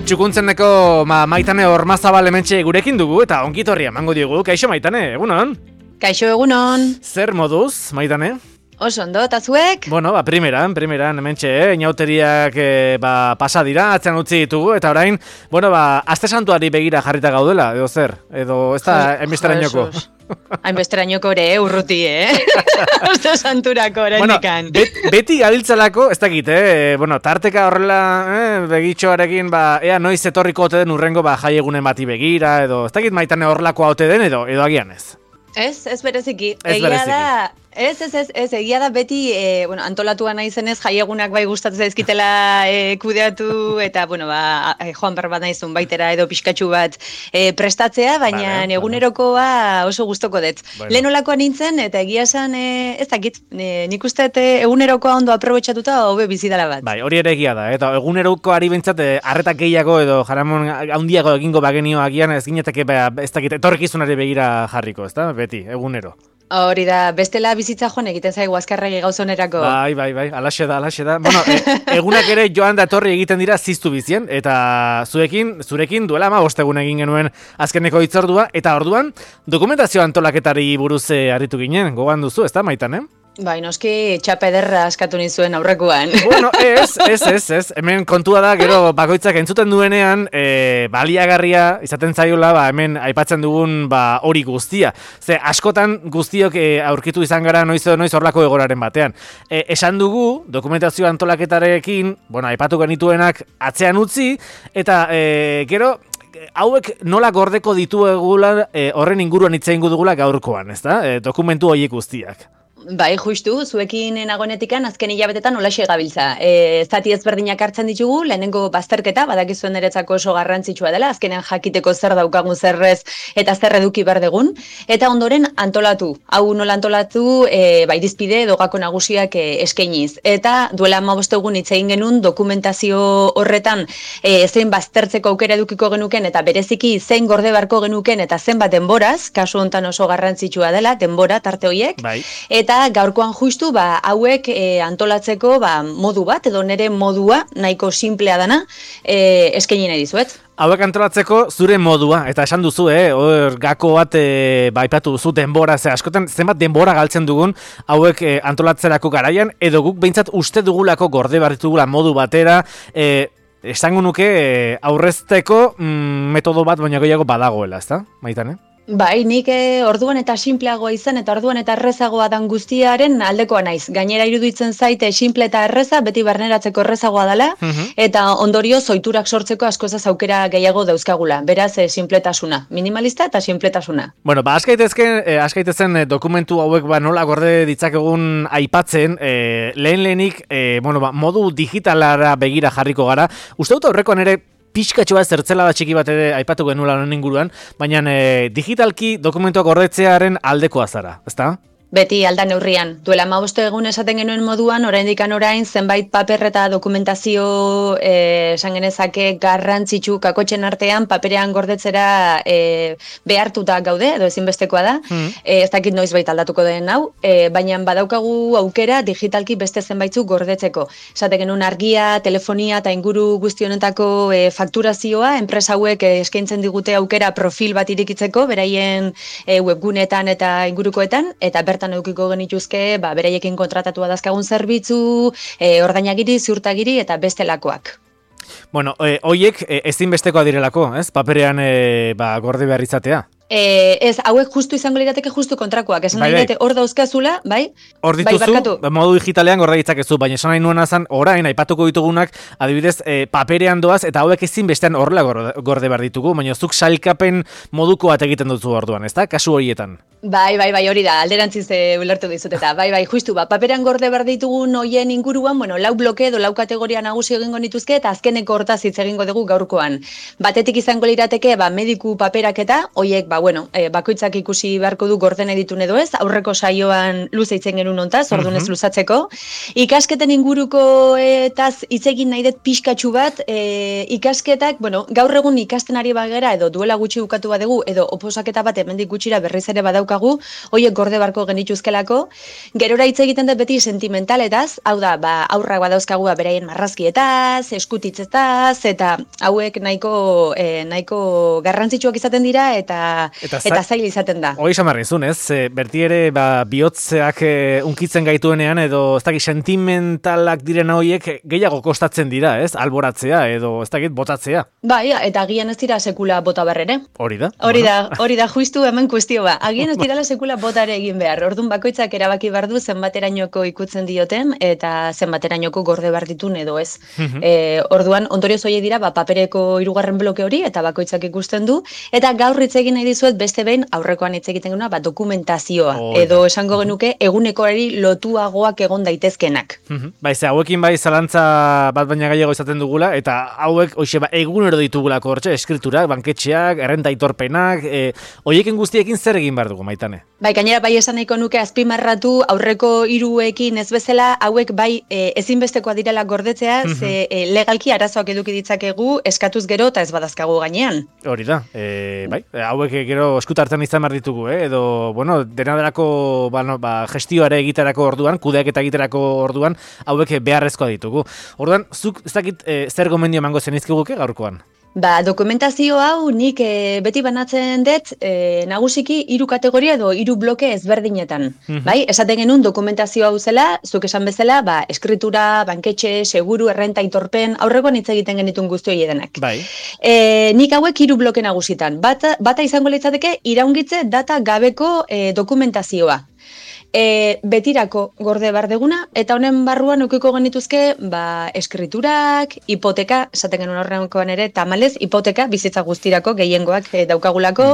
Txukuntzeneko Maitane Ormazabal hementxe gurekin dugu eta ongitorria emango diogu. Kaixo Maitane, egunon? Kaixo egunon. Zer moduz, Maitane? Oso ondo, eta zuek? Bueno, primeran hementxe, inauteriak pasa dira, atzean utzi ditugu, eta orain, aste santuari begira jarrita gaudela, edo zer? Edo ez da hainbesterainoko? Hainbesterainoko ere, urruti, Aste santurako oraindikan. Beti gabiltzalako, ez dakit, tarteka horrela begitxoarekin, ea noiz etorriko ote den urrengo jaiegunen bati begira, edo ez dakit Maitane horrelakoa ote den, edo agian ez. Ez bereziki. Egia da beti, antolatua naizenez jaiegunak bai gustatzen zaizkitela kudeatu, eta, joan behar bat naizun baitera edo pixkatxu bat prestatzea, baina egunerokoa oso gustoko dut. Lehen olakoa nintzen, eta egia esan, ez dakit, nik uste egunerokoa ondo aprobetxatuta hobe bizidala bat. Bai, hori ere egia da, eta egunerokoari bentsat, arretak gehiago edo jaramon handiago egingo bagenio agian ez gineteke, ez dakit, etorrikizunari begira jarriko, ez da, beti, egunero. Hori da, bestela bizitza joan egiten zaigu azkarregi gauzonerako. Bai, alaxe da. Bueno, egunak ere joan da etorri egiten dira ziztu bizien, eta zurekin duela 5 egun egin genuen azkeneko hitzordua, eta orduan dokumentazio antolaketari buruz harritu ginen, gogoan duzu, ez da, Maitane? Bai, noski txapa ederra askatu nizuen aurrekoan. Bueno, ez. Hemen kontua da, gero bakoitzak entzuten duenean, baliagarria izaten zaiola, hemen aipatzen dugun hori guztia. Ze, askotan guztiok aurkitu izan gara noiz horlako egoraren batean. Esan dugu, dokumentazio antolaketarekin, aipatu genituenak atzean utzi, eta gero, hauek nola gordeko dituegula horren inguruan hitz egingo dugula gaurkoan, ezta? Dokumentu horiek guztiak. Bai, justu, zuekin nagonetikan azken hilabetetan olaxe gabiltza. Zati ezberdinak hartzen ditugu, lehenengo bazterketa, badakizuen niretzako oso garrantzitsua dela, azkenean jakiteko zer daukagun zerrez eta zer eduki behar dugun, eta ondoren antolatu. Hau nola antolatu, irizpide edo gako nagusiak eskainiz. Eta duela 15 egun hitz egin genuen dokumentazio horretan zein baztertzeko aukera edukiko genuken eta bereziki zein gorde beharko genuken eta zenbat denboraz, kasu hontan oso garrantzitsua dela, denbora tarte horiek. Bai. Eta gaurkoan justu hauek antolatzeko modu bat, edo nire modua nahiko simplea dana eskaini nahi dizuet. Hauek antolatzeko zure modua, eta esan duzu, hor gako bat aipatu duzu denbora, askotan zenbat denbora galtzen dugun hauek antolatzerako garaian, edo guk behintzat uste dugulako gorde behar ditugula modu batera, esango nuke aurrezteko metodo bat baina gehiago badagoela, ezta, Maitane? Bai, nik orduan eta simpleagoa izan eta orduan eta errezagoa dan guztiaren aldekoa naiz. Gainera iruditzen zaite simple eta erreza, beti barneratzeko errezagoa dela, eta ondorio zoiturak sortzeko askozaz aukera gehiago dauzkagula. Beraz, simpletasuna. Minimalista eta simpletasuna. Bueno, askaitezen dokumentu hauek nola gorde ditzakegun aipatzen, lehenik, modu digitalara begira jarriko gara. Uste dut aurrekoan ere, pixkatxoa zertzela da txiki bat ere aipatu genuela honen inguruan, baina digitalki dokumentuak gordetzearen aldekoa zara, ezta? Beti aldan neurrian. Duela 15 egun esaten genuen moduan, orain zenbait paper eta dokumentazio esan genezake garrantzitsu kakotxen artean paperean gordetzera behartuta gaude, edo ezinbestekoa da. Ez dakit noiz bait aldatuko den hau, baina badaukagu aukera digitalki beste zenbaitzu gordetzeko. Esaten genuen argia, telefonia eta inguru guztionetako fakturazioa, enpresa hauek eskaintzen digute aukera profil bat irikitzeko, beraien webgunetan eta ingurukoetan, eta bertan edukiko genituzke, beraiekin kontratatua dazkagun zerbitzu, ordainagiri, ziurtagiri eta bestelakoak. Bueno, hoiek ezinbestekoa direlako, ez? Paperean gorde behar izatea. Ez, hauek justu izango lirateke justu kontrakoak. Esan nahi dute hor dauzkazula, bai? Hor dituzu, modu digitalean gorde ditzakezu, baina esan nahi nuena zan, orain, aipatuko ditugunak, adibidez, paperean doaz, eta hauek ezin bestean horrela gorde behar ditugu, baina zuk sailkapen moduko bat egiten duzu orduan, ez da? Kasu horietan. Bai, hori da, alderantziz ulertu dizut eta, justu, paperean gorde behar ditugun hoien inguruan, lau bloke edo lau kategoria nagusi egingo nituzke eta azkeneko hortaz hitz egingo dugu gaurkoan. Batetik izango lirateke, mediku paperak eta, hoiek, bakoitzak ikusi beharko du gorden editun edo ez, aurreko saioan luze itzen genuen hontaz, orduan ez luzatzeko. Ikasketen inguruko etaz hitz egin nahi dut pixkatxu bat, ikasketak, gaur egun ikasten ari bagera, edo duela gutxi bukatu badegu, edo oposaketa bat hemendik gutxira berriz ere badaukagu, hoiek gorde barko genituzkelako, gerora hitz egiten dut beti sentimentaletaz, hau da, aurrak badauzkagu beraien marrazkietaz, eskutitzetaz, eta hauek nahiko garrantzitsuak izaten dira, eta zail izaten da. Hoi samarrizun, ez? Berti ere, bihotzeak unkitzen gaituenean, edo ez dakit sentimentalak diren horiek gehiago kostatzen dira, ez? Alboratzea, edo ez dakit botatzea. Bai, eta agian ez dira sekula bota berrere. Hori da. Hori da, justu hemen kuestio ba. Agian ez dirala sekula botare egin behar. Orduan bakoitzak erabaki behar du zenbaterainoko ikutzen dioten, eta zenbaterainoko gorde behar ditun edo ez. Orduan, ondorioz horiek dira, papereko 3. bloke hori, eta bakoitzak ikusten du, eta gaur hitz egin nahi dizuet beste behin aurrekoan hitz egiten guna, dokumentazioa, edo esango genuke egunekoari lotuagoak egon daitezkenak. Hauekin zalantza bat baina gehiago izaten dugula, eta hauek egunero ditugulako hortxe, eskriturak, banketxeak, errenta aitorpenak, horiekin guztiekin zer egin behar dugu, Maitane? Gainera esan nahiko nuke azpimarratu aurreko 3ekin ez bezala, hauek ezinbestekoa direla gordetzea, ze legalki arazoak eduki ditzakegu eskatuz gero eta ez badazkagu gainean. Hori da, hauek gero eskutartzen izan behar ditugu, edo, dena delako gestioare egiterako orduan, kudeak eta egiterako orduan, hauek beharrezkoa ditugu. Orduan, zuk ez dakit zer gomendio emango zenizkiguke gaurkoan? Dokumentazio hau nik beti banatzen dut nagusiki 3 kategoria edo 3 bloke ezberdinetan. Esaten genuen dokumentazio hau zela, zuk esan bezala, eskritura, banketxe, seguru, errenta, aitorpen, aurrekoan hitz egiten genitun guzti hori edenak. Nik hauek 3 bloke nagusitan. Bata izango litzateke iraungitze data gabeko dokumentazioa. Betirako gorde bardeguna, eta honen barruan ukiko genituzke eskriturak, hipoteka, esaten genuen horrenkoan ere, tamalez, hipoteka, bizitza guztirako, gehiengoak daukagulako,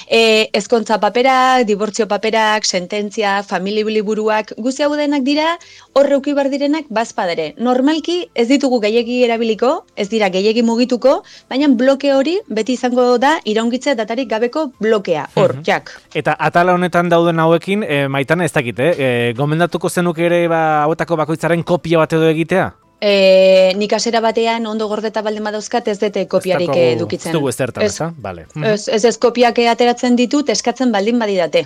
ezkontza paperak, dibortzio paperak, sententzia, familiburuak, guzti hau denak dira, horre uki bar direnak bazpadere. Normalki ez ditugu gehiegi erabiliko, ez dira gehiegi mugituko, baina bloke hori beti izango da iraungitze datarik gabeko blokea, hor, jak. Eta atala honetan dauden hauekin, Maitane, ez dakit, gomendatuko zenuk ere hauetako bakoitzaren kopia bat edo egitea? Nik asera batean ondo gordeta baldin badauzkat ez dute kopiarik edukitzen. Ez dugu ezertan, ez? Bale. Ez kopiak ateratzen ditut eskatzen baldin badidate.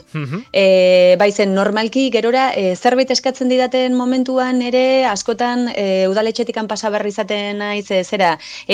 Baizen, normalki gerora zerbait eskatzen didaten momentuan ere askotan udaletxetikan pasabarri izaten naiz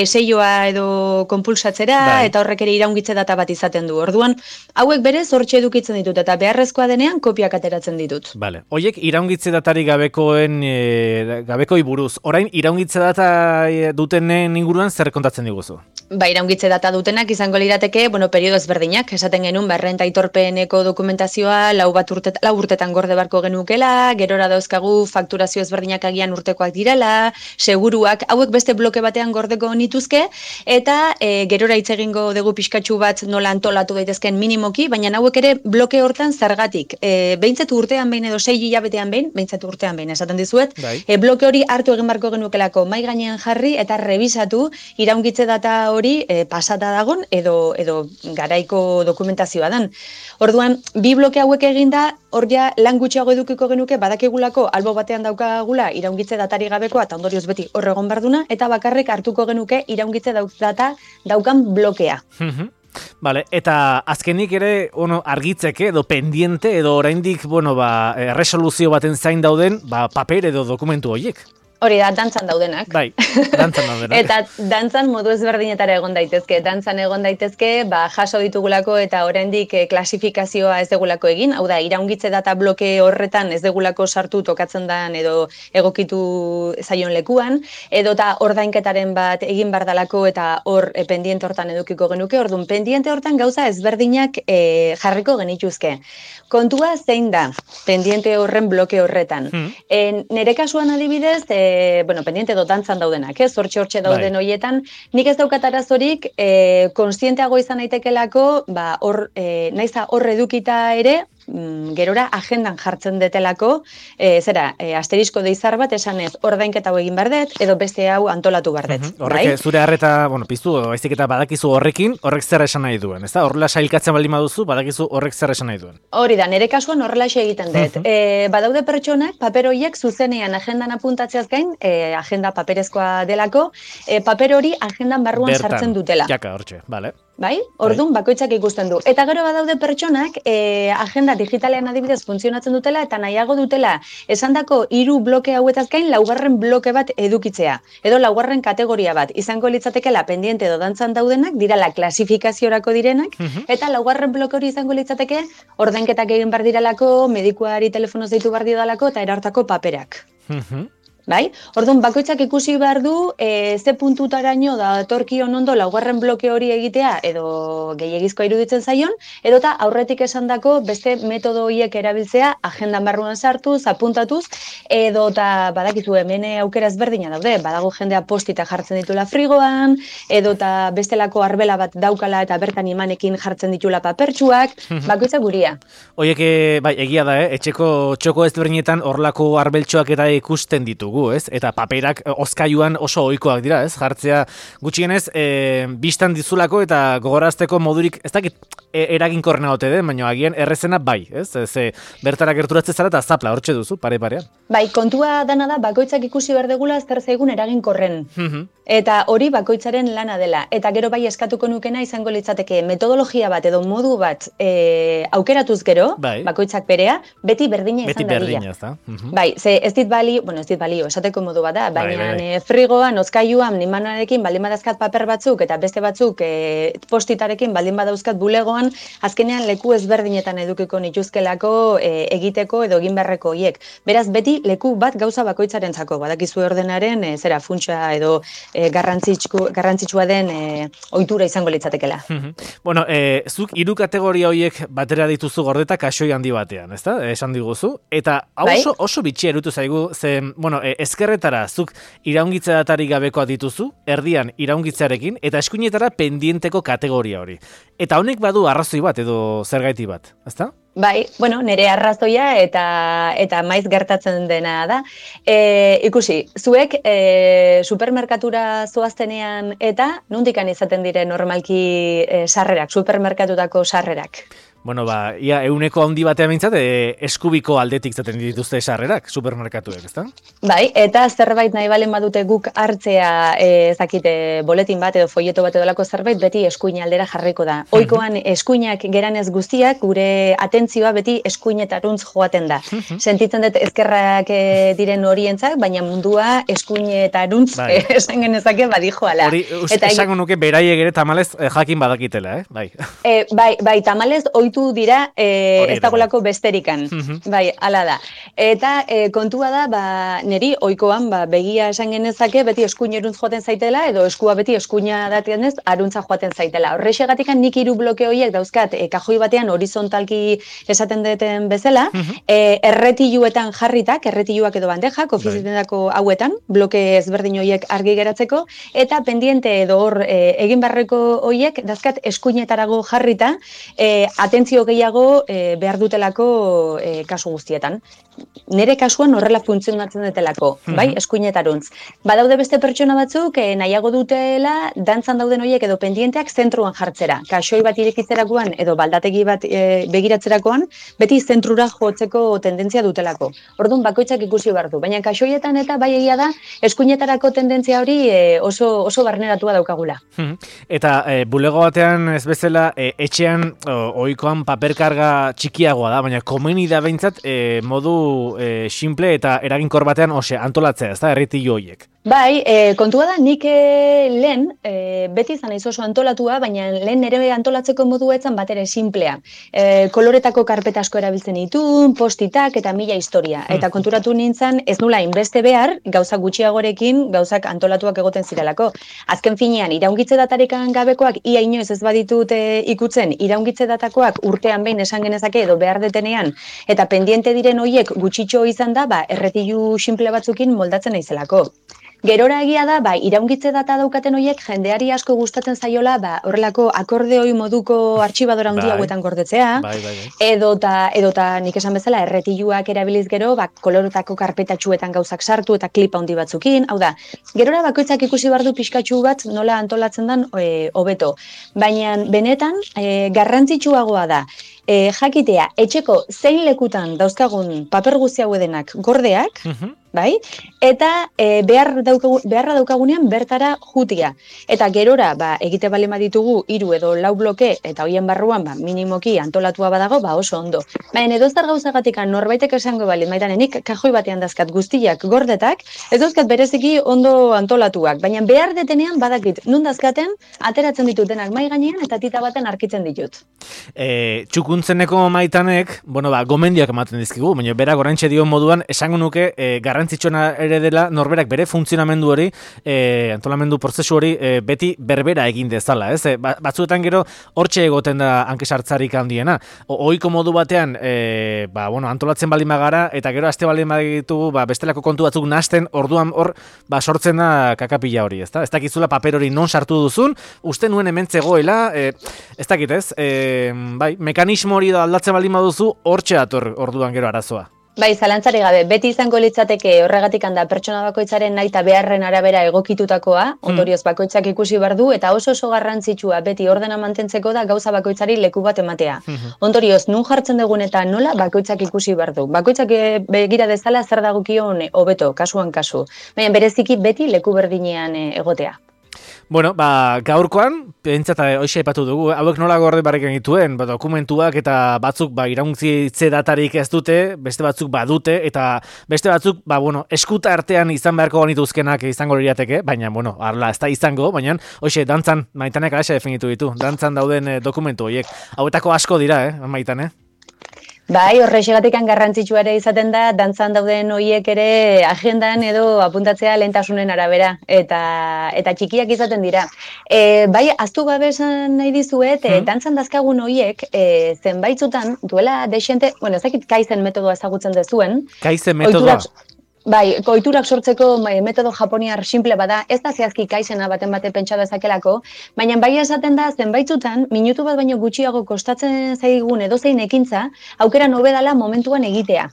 seioa edo konpulsatzera eta horrek ere iraungitze data bat izaten du. Orduan, hauek berez hortxe edukitzen ditut eta beharrezkoa denean kopiak ateratzen ditut. Bale. Hoiek iraungitze datari gabekoi buruz. Orain iraungitze data dutenen inguruan zer kontatzen diguzu? Iraungitze data dutenak izango lirateke, periodo ezberdinak, esaten genuen, errenta aitorpeneko dokumentazioa, 4 urtetan gorde barko genukela, gerora dauzkagu fakturazio ezberdinak agian urtekoak direla, seguruak, hauek beste bloke batean gordeko nituzke, eta gerora hitz egingo dugu pixkatxu bat nola antolatu daitezken minimoki, baina hauek ere bloke hortan zergatik. Behintzatu urtean behin edo 6 hilabetean behin, behintzatu urtean behin, esaten dizuet, bloke hori hartu egin barko genukelako mai gainean jarri eta revisatu iraungitze data hori pasata dagon edo garaiko dokumentazioa dan. Orduan, 2 bloke hauek eginda, hor ja lan gutxiago edukiko genuke badakigulako albo batean daukagula iraungitze datari gabekoa eta ondorioz beti horregon barduna eta bakarrik hartuko genuke iraungitze data daukan blokea. Vale, eta azkenik ere argitzeke edo pendiente edo oraindik resoluzio baten zain dauden paper edo dokumentu horiek. Hori da, dantzan daudenak. Bai, dantzan daudenak. Eta dantzan modu ezberdinetara egon daitezke. Dantzan egon daitezke, jaso ditugulako eta oraindik klasifikazioa ez degulako egin. Hau da, iraungitze data bloke horretan ez degulako sartu tokatzen dan edo egokitu zaion lekuan. Edo eta ordainketaren bat egin bardalako eta hor pendiente hortan edukiko genuke. Orduan, pendiente hortan gauza ezberdinak jarriko genituzke. Kontua zein da, pendiente horren bloke horretan. Nere kasuan adibidez, pendiente edo dantzan daudenak, hortxe dauden horietan, nik ez daukat arazorik, konstienteago izan naitekelako, naiza hor edukita ere, gerora agendan jartzen detelako, asterisko deizar bat esanez ordainketa hau egin behar dut, edo beste hau antolatu behar dut. Horrek zure harreta, piztu, baizik eta badakizu horrekin, horrek zer esan nahi duen, ezta? Horrela sailkatzen baldin baduzu, badakizu horrek zer esan nahi duen. Hori da, nire kasuan horrelaxe egiten dut. Badaude pertsonak, paper horiek zuzenean agendan apuntatzeaz gain, agenda paperezkoa delako, paper hori agendan barruan sartzen dutela. Jaka, hortxe, bale. Bai? Orduan bakoitzak ikusten du. Eta gero badaude pertsonak agenda digitalean adibidez funtzionatzen dutela eta nahiago dutela esandako 3 bloke hauetaz gain 4. bloke bat edukitzea. Edo 4. kategoria bat. Izango litzatekela pendiente edo dantzan daudenak, dirala klasifikaziorako direnak, eta 4. bloke hori izango litzateke ordainketak egin behar diralako, medikuari telefonoz deitu behar didalako eta erartako paperak. Bai? Orduan, bakoitzak ikusi behar du ze puntutaraino da torkion ondo 4. bloke hori egitea edo gehiegizkoa iruditzen zaion, edota aurretik esandako beste metodo horiek erabiltzea agendan barruan sartuz, apuntatuz, edota badakizu hemen aukera ezberdina daude, badago jendea postita jartzen ditula frigoan, edota bestelako arbela bat daukala eta bertan imanekin jartzen ditula papertxuak, bakoitzak guria. Oiek, bai, egia da, etxeko txoko ezberdinetan horlako arbeltxoak eta ikusten ditu. Eta paperak hozkailuan oso ohikoak dira, ez? Jartzea gutxienez bistan dizulako eta gogorazteko modurik, ez dakit eraginkorrena ote den, baina agian errezena bai, ez? Bertara gerturatzen zara eta zapla hortxe duzu, pare-parean. Bai, kontua dana da bakoitzak ikusi behar degula zer zaigun eraginkorren. Eta hori bakoitzaren lana dela. Eta gero bai eskatuko nukena izango litzateke metodologia bat edo modu bat aukeratuz gero, bakoitzak berea, beti berdina izan dadila. Beti berdina, ez da? Bai, ez dit balio, esateko modu bat da, baina frigoan, hozkailuan, nimanoarekin baldin badazkat paper batzuk eta beste batzuk postitarekin baldin badauzkat bulegoan, azkenean leku ezberdinetan edukiko nituzkelako egiteko edo egin beharreko hiek. Beraz, beti leku bat gauza bakoitzarentzako, badakizu ordenaren funtsa edo garrantzitsua den ohitura izango litzatekela. Bueno, zuk 3 kategoria horiek batera dituzu gordeta kaxoi handi batean, ezta? Esan diguzu. Eta oso bitxia erutu zaigu, ezkerretara zuk iraungitze datarik gabekoa dituzu, erdian iraungitzearekin, eta eskuinetara pendienteko kategoria hori. Eta honek badu arrazoi bat edo zergaiti bat, ezta? Bai, nire arrazoia eta maiz gertatzen dena da. Ikusi, zuek supermerkatura zoaztenean eta nondikan izaten dire normalki sarrerak, supermerkatutako sarrerak? Bueno, ia euneko handi batean bintzat, eskubiko aldetik zaten dituzte sarrerak, supermerkatuek, ezta? Bai, eta zerbait nahi balen badute guk hartzea, ezakite, boletin bat edo folleto bat edolako zerbait, beti eskuin aldera jarriko da. Oikoan eskuinak geranez guztiak, gure atentzioa beti eskuinetaruntz joaten da. Sentitzen dut ezkerrak diren horientzak, baina mundua eskuinetaruntz esan genezake badijoala. Hori, esango nuke beraiek ere tamalez jakin badakitela, bai? Bai, tamalez dira ez dagolako besterikan. Bai, ala da. Eta kontua da, niri ohikoan begia esan genezake beti eskuineruntz joaten zaitela edo eskua beti eskuina datenez aruntza joaten zaitela. Horrexegatikan nik 3 bloke horiek dauzkat kajoi batean horizontalki esaten deten bezala, erretiluetan jarritak, erretiluak edo bandejak, ofizitendako hauetan, bloke ezberdin horiek argi geratzeko, eta pendiente edo hor egin barreko horiek dauzkat eskuinetarago jarrita, atentzio gehiago behar dutelako kasu guztietan. Nire kasuan horrela funtzionatzen dutelako, bai, eskuinetaruntz. Badaude beste pertsona batzuk nahiago dutela dantzan dauden horiek edo pendienteak zentruan jartzera. Kaxoi bat irekitzerakoan edo baldategi bat begiratzerakoan, beti zentrura jotzeko tendentzia dutelako. Orduan bakoitzak ikusi behar du, baina kaxoietan eta bai egia da eskuinetarako tendentzia hori oso barneratua daukagula. Eta bulego batean ez bezala etxean ohikoan paperkarga txikiagoa da, baina komeni da behintzat modu simple eta eraginkor batean antolatzea, ez da, erretilu horiek. Bai, kontua da, nik lehen, beti izan naiz oso antolatua, baina lehen nire antolatzeko modua etzan bat ere simplea. Koloretako karpeta asko erabiltzen ditun, postitak eta mila historia. Eta konturatu nintzen, ez nula inbeste behar, gauzak gutxiagorekin, gauzak antolatuak egoten zirelako. Azken finean, iraungitze datarekan gabekoak, ia inoiz ez baditut ikutzen, iraungitze datakoak urtean behin esan genezake edo behar detenean, eta pendiente diren horiek gutxitxo izan da, erretilu simple batzukin moldatzen naizelako. Gerora egia da, iraungitze data daukaten horiek jendeari asko gustatzen zaiola, horrelako akordeoi moduko artxibadora handi hauetan gordetzea, edota nik esan bezala erretiluak erabiliz gero, kolorotako karpetatxuetan gauzak sartu eta klipa handi batzukin, hau da, gerora bakoitzak ikusi bardu pixkatxu bat nola antolatzen den hobeto. Baina benetan garrantzitsuagoa da, jakitea, etxeko zein lekutan dauzkagun paper guzti hau edenak gordeak, bai? Eta beharra daukagunean bertara jutia. Eta gerora, egite bale ditugu 3 edo 4 bloke, eta hoien barruan, minimoki antolatua badago, oso ondo. Baina edo zer gauzagatik norbaitek esango bali, maitanenik kajoi batean dazkat guztiak gordetak, ez dauzkat bereziki ondo antolatuak. Baina behar detenean badakit, nun dazkaten, ateratzen ditutenak mai gainean eta tita baten arkitzen ditut. Txukuntzeneko Maitanek, gomendiak ematen dizkigu, baina berak oraintxe dio moduan, esango nuke garrantzitsuena ere dela norberak bere funtzionamendu hori, antolamendu prozesu hori beti berbera egin dezala, ez? Batzuetan gero hortxe egoten da hankesartzarik handiena. Ohiko modu batean, antolatzen baldin bagara, eta gero aste baldin baditugu, bestelako kontu batzuk nahasten, orduan hor, sortzen da kakapila hori, ezta? Ez dakizula paper hori non sartu duzun, uste nuen hemen zegoela, ez dakit ez, mekanismo hori da aldatzen baldin baduzu, hortxe dator orduan gero arazoa. Zalantzari gabe, beti izango litzateke horregatik handa pertsona bakoitzaren nahi eta beharren arabera egokitutakoa, ondorioz bakoitzak ikusi bardu, eta oso garrantzitsua beti ordena mantentzeko da gauza bakoitzari leku bat ematea. Ondorioz, nun jartzen dugun eta nola bakoitzak ikusi bardu. Bakoitzak begira dezala zer dagokion hobeto, kasuan kasu. Baina bereziki beti leku berdinean egotea. Gaurkoan, pentsat hoxe aipatu dugu, hauek nola gorde barrik egituen, dokumentuak eta batzuk iraungitze datarik ez dute, beste batzuk badute, eta beste batzuk, eskuta artean izan beharko ganituzkenak izango lirateke, baina, arla, ez da izango, baina, hoxe, dantzan, Maitanek alaxe definitu ditu, dantzan dauden dokumentu horiek. Hauetako asko dira, Maitane? Horrexegatik garrantzitsua ere izaten da, dantzan dauden horiek ere agendan edo apuntatzea lehentasunen arabera, eta txikiak izaten dira. Aztu gabe esan nahi dizuet, dantzan dazkagun horiek, zenbaitzutan, duela desente, ez dakit Kaizen metodoa ezagutzen dezuen. Kaizen metodoa? Ohiturak sortzeko metodo japoniar simple bada, ez da zehazki Kaizena baten bate pentsa dezakelako, baina esaten da zenbaitzutan, minutu bat baino gutxiago kostatzen zaigun edozein ekintza, aukera nobedala momentuan egitea.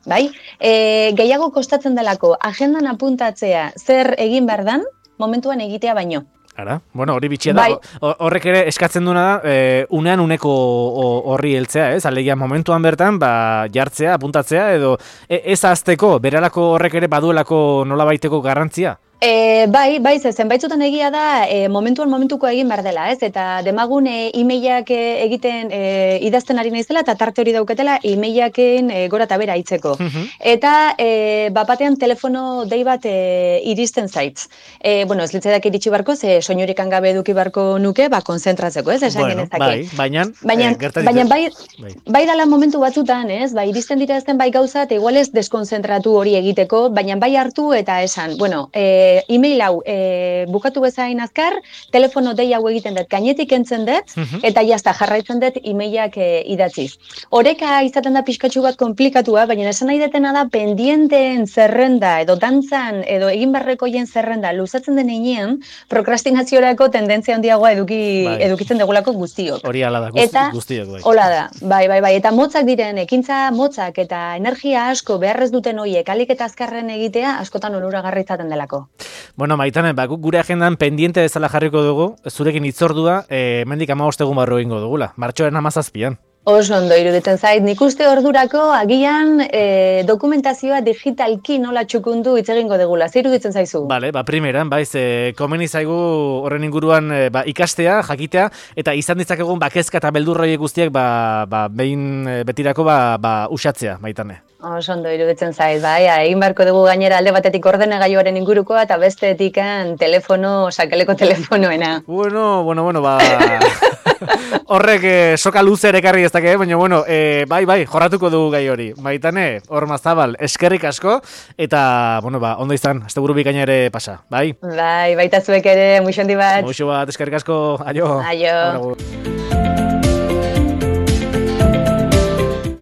Gehiago kostatzen delako, agendan apuntatzea zer egin behar dan, momentuan egitea baino. Hori bitxia da, horrek ere eskatzen duena da, unean uneko horri heltzea, ez? Alegia momentuan bertan, jartzea, apuntatzea, edo ez azteko, beralako horrek ere baduelako nolabaiteko garrantzia? Zenbaitzutan egia da momentuko egin behar dela, ez? Eta demagun e-mailak egiten idazten ari naizela eta tarte hori dauketela e-mailaken gora eta bera hitzeko. Eta bapatean telefono dei bat iristen zaitz. Ez litzedak iritsi barko, ze soinurikan gabe eduki barko nuke, konzentratzeko, ez? Esan genezake. Baina bai dala momentu batzutan, ez? Iristen dira ezten gauza, eta igual ez deskonzentratu hori egiteko, baina bai hartu eta esan, e-mail hau bukatu bezain azkar, telefono dei hau egiten dut, gainetik entzen dut, eta jazta jarraitzen dut e-mailak idatziz. Horeka izaten da pixkatxu bat komplikatua, baina esan nahi detena da pendienteen zerrenda, edo dantzan, edo egin barrekoien zerrenda, luzatzen den einean, prokrastinaziorako tendentzia handiagoa edukitzen degulako guztiok. Hori ala da, guztiok. Hola da, bai, eta motzak diren, ekintza motzak eta energia asko beharrez duten horiek alik eta azkarren egitea askotan onuragarri izaten delako. Maitane, gure agendan pendiente bezala jarriko dugu, zurekin hitzordua, mendik 15 egun barru egingo dugula, martxoaren 17an. Oso ondo iruditzen zait, nik uste ordurako agian dokumentazioa digitalki nola txukundu hitz egingo degula, zer iruditzen zaizu? Primeran, komeni zaigu horren inguruan ikastea, jakitea, eta izan ditzakegun kezka eta beldurroi guztiak behin betirako usatzea, Maitane. Oso ondo iruditzen zait, egin beharko dugu gainera alde batetik ordenagailuaren ingurukoa eta bestetik sakeleko telefonoena. Horrek soka luze ere karri ez dake, baina jorratuko dugu gai hori. Maitane, Ormazabal, eskerrik asko, eta ondo izan, asteburu bikaina ere pasa, bai? Baita zuek ere, muixo handi bat. Muixo bat, eskerrik asko, aio. Aio.